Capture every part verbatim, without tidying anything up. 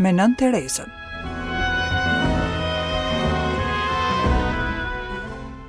me Nënë Terezën.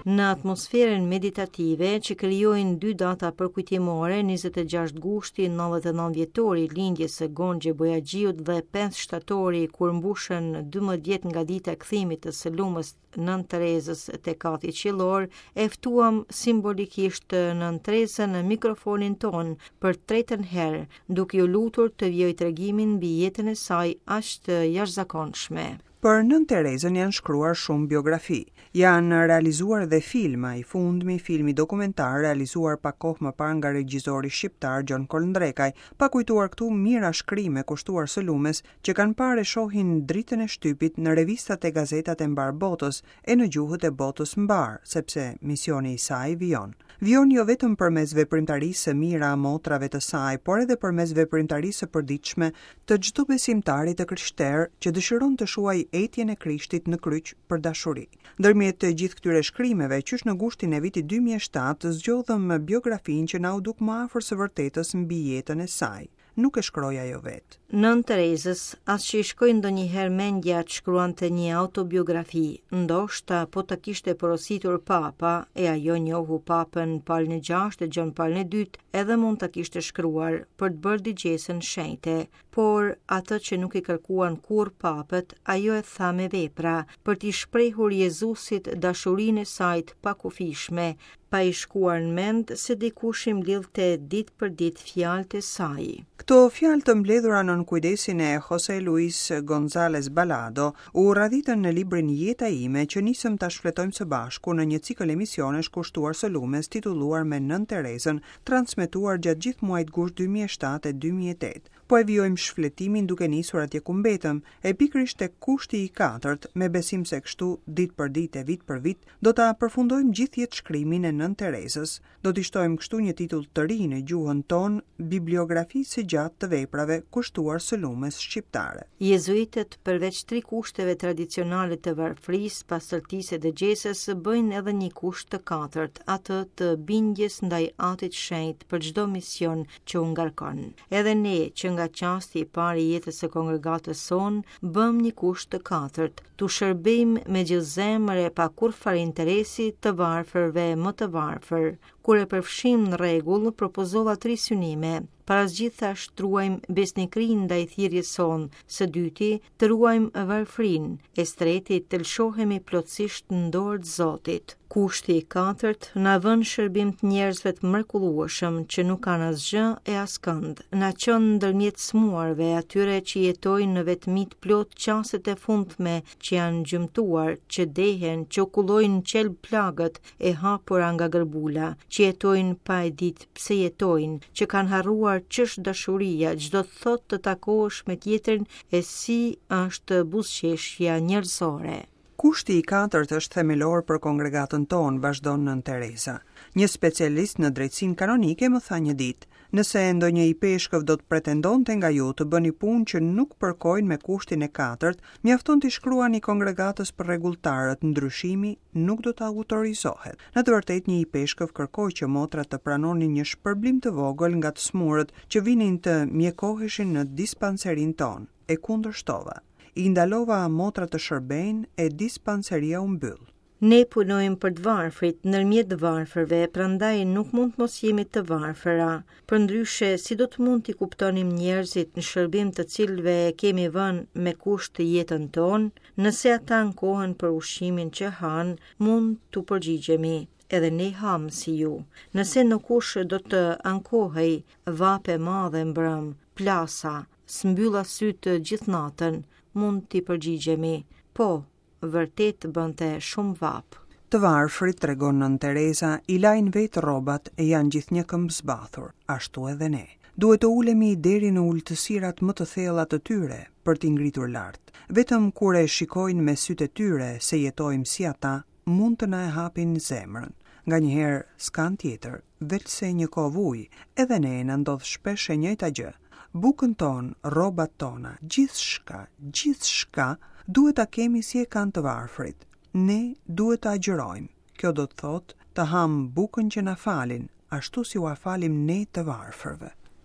Në atmosferën meditative që krijojnë dy data përkujtimore, njëzet e gjashtë gushti, nëntëdhjetë e nëntë vjetori lindjes së Gonxhe Bojaxhiut dhe pesë shtatori kur mbushën dymbëdhjetë vjet nga dita e kthimit të së lumës Nënë Terezës te kati qiellor, e ftuam simbolikisht Nënë Terezën në mikrofonin ton për tretën herë, duke ju lutur të vijoj tregimin mbi jetën e saj aq të jashtëzakonshme. Për Nënë Terezën janë shkruar shumë biografi, janë realizuar dhe filma, i fundmi filmi dokumentar realizuar pak kohë më parë nga regjizori shqiptar Gjon Kolndrekaj, pa kujtuar këtu mijëra shkrime kushtuar së lumes që kanë parë e shohin dritën e shtypit në revistat e gazetat e mbar botës e në gjuhët e botës mbar, sepse misioni i saj vijon. Vijon jo vetëm përmes veprimtarisë së mira motrave të saj, por edhe përmes veprimtarisë së përditshme të çdo besimtari të krishterë që dëshiron të shuajë etjen e Krishtit në kryq për dashuri. Ndërmjet të gjithë këtyre shkrimeve, qysh në gushtin e vitit dy mijë e shtatë, zgjodhëm biografinë që na u duk më afër së vërtetës mbi jetën e saj. Nuk e shkroi ajo vetë. Nënë Terezës, as që i shkoi ndonjëherë mendja të shkruante një autobiografi, ndoshta po ta kishte porositur papa, e ajo njohu papën Palin e gjashtë e Gjon Palin e dytë, edhe mund ta kishte shkruar për të bërë dëgjesën shenjte, por atë që nuk i kërkuan kurrë papët, ajo e tha me vepra, për t'i shprehur Jezusit dashurinë e saj të pakufishme, pa i shkuar në mend se dikush i mblidhte ditë për ditë fjalët e saj. Këto fjalë të mbledhura nën kujdesin e Jose Luis González Balado u radhitën në librin Jeta ime që nisëm ta shfletojmë së bashku në një cikël emisionesh kushtuar së lumes titulluar me Nënë Terezën, transmetuar gjatë gjithë muajit gusht dy mijë e shtatë e dy mijë e tetë. Po e vijojmë shfletimin duke nisur atje ku mbetëm, e pikërisht tek kushti i katërt, me besim se kështu ditë për ditë e vit për vit do ta përfundojmë gjithë jetë shkrimin e Nënë Terezës. Do t'i shtojmë kështu një titull të ri në gjuhën tonë, bibliografisë së gjatë të veprave kushtuar së lumes shqiptare. Jezuitët, përveç tri kushteve tradicionale të varfërisë, pastërtisë e dëgjesës, bëjnë edhe një kusht të katërt, atë të bindjes ndaj Atit Shenjt për çdo mision që u ngarkon. Edhe ne, që nga çasti i parë i jetës së kongregatës sonë, bëm një kusht të katërt, t'u shërbejmë me gjithë zemër e pa kurrfarë interesi të varfërve më të varfër. Kur e përfshim në rregull, propozova tri synime. Para së gjithash, të ruajmë besnikërinë ndaj thirrjes sonë, së dyti, të ruajmë varfërinë, e së treti, të lëshohemi plotësisht në dorë të Zotit. Kushti i katërt na vën shërbim të njerëzve të mrekullueshëm që nuk kanë asgjë e askënd. Na çon ndërmjet smuarve, atyre që jetojnë në vetmi të plot çastet e fundme që janë gjymtuar, që dehen, që kullojnë qelb plagët e hapura nga gërbula, që jetojnë pa e ditë pse jetojnë, që kanë harruar ç'është dashuria, ç'do të thotë të takohesh me tjetrin e si është buzëqeshja njerëzore. Kushti i katërt është themelor për kongregatën tonë, vazhdon Nënë Tereza. Një specialist në drejtsinë kanonike më tha një ditë, nëse ndonjë i peshkëv do të pretendonte nga ju të bëni punë që nuk përkojnë me kushtin e katërt, mjafton t'i shkruani kongregatës për rregulltarët, ndryshimi nuk do të autorizohet. Në të vërtetë, një i peshkëv kërkoi që motrat të pranonin një shpërblim të vogël nga të smurët që vinin të mjekoheshin në dispanserin tonë. E kundërshtova. I ndalova motrat të shërbejnë e dispanseria u mbyll. Ne punojmë për të varfrit, ndërmjet të varfërve, prandaj nuk mund të mos jemi të varfëra. Përndryshe, si do të mund t'i kuptonim njerëzit në shërbim të cilëve e kemi vënë me kusht të jetën tonë, nëse ata ankohen për ushqimin që hanë, mund t'u përgjigjemi, edhe ne ham si ju. Nëse ndokush do të ankohej, vape madhe mbrëm, plasa, s'mbylla sytë gjithë natën, mund t'i përgjigjemi, po, vërtet bënte shumë vapë. Të varfrit, tregon Nënë Tereza, i lajnë vetë rrobat e janë gjithnjë këmbë zbathur, ashtu edhe ne. Duhet të ulemi deri në ultësirat më të thella të tyre për t'i ngritur lart. Vetëm kur e shikojnë me sytë e tyre se jetojmë si ata, mund të na e hapin zemrën. Nganjëherë s'kan tjetër, veçse një kovë ujë, edhe ne na ndodh shpesh e njëjta gjë. Bukën tonë, rrobat tona, gjithçka, gjithçka duhet ta kemi si e kanë të varfrit. Ne duhet të agjërojmë. Kjo do të thotë të ham bukën që na falin, ashtu si ua falim ne të varfërve.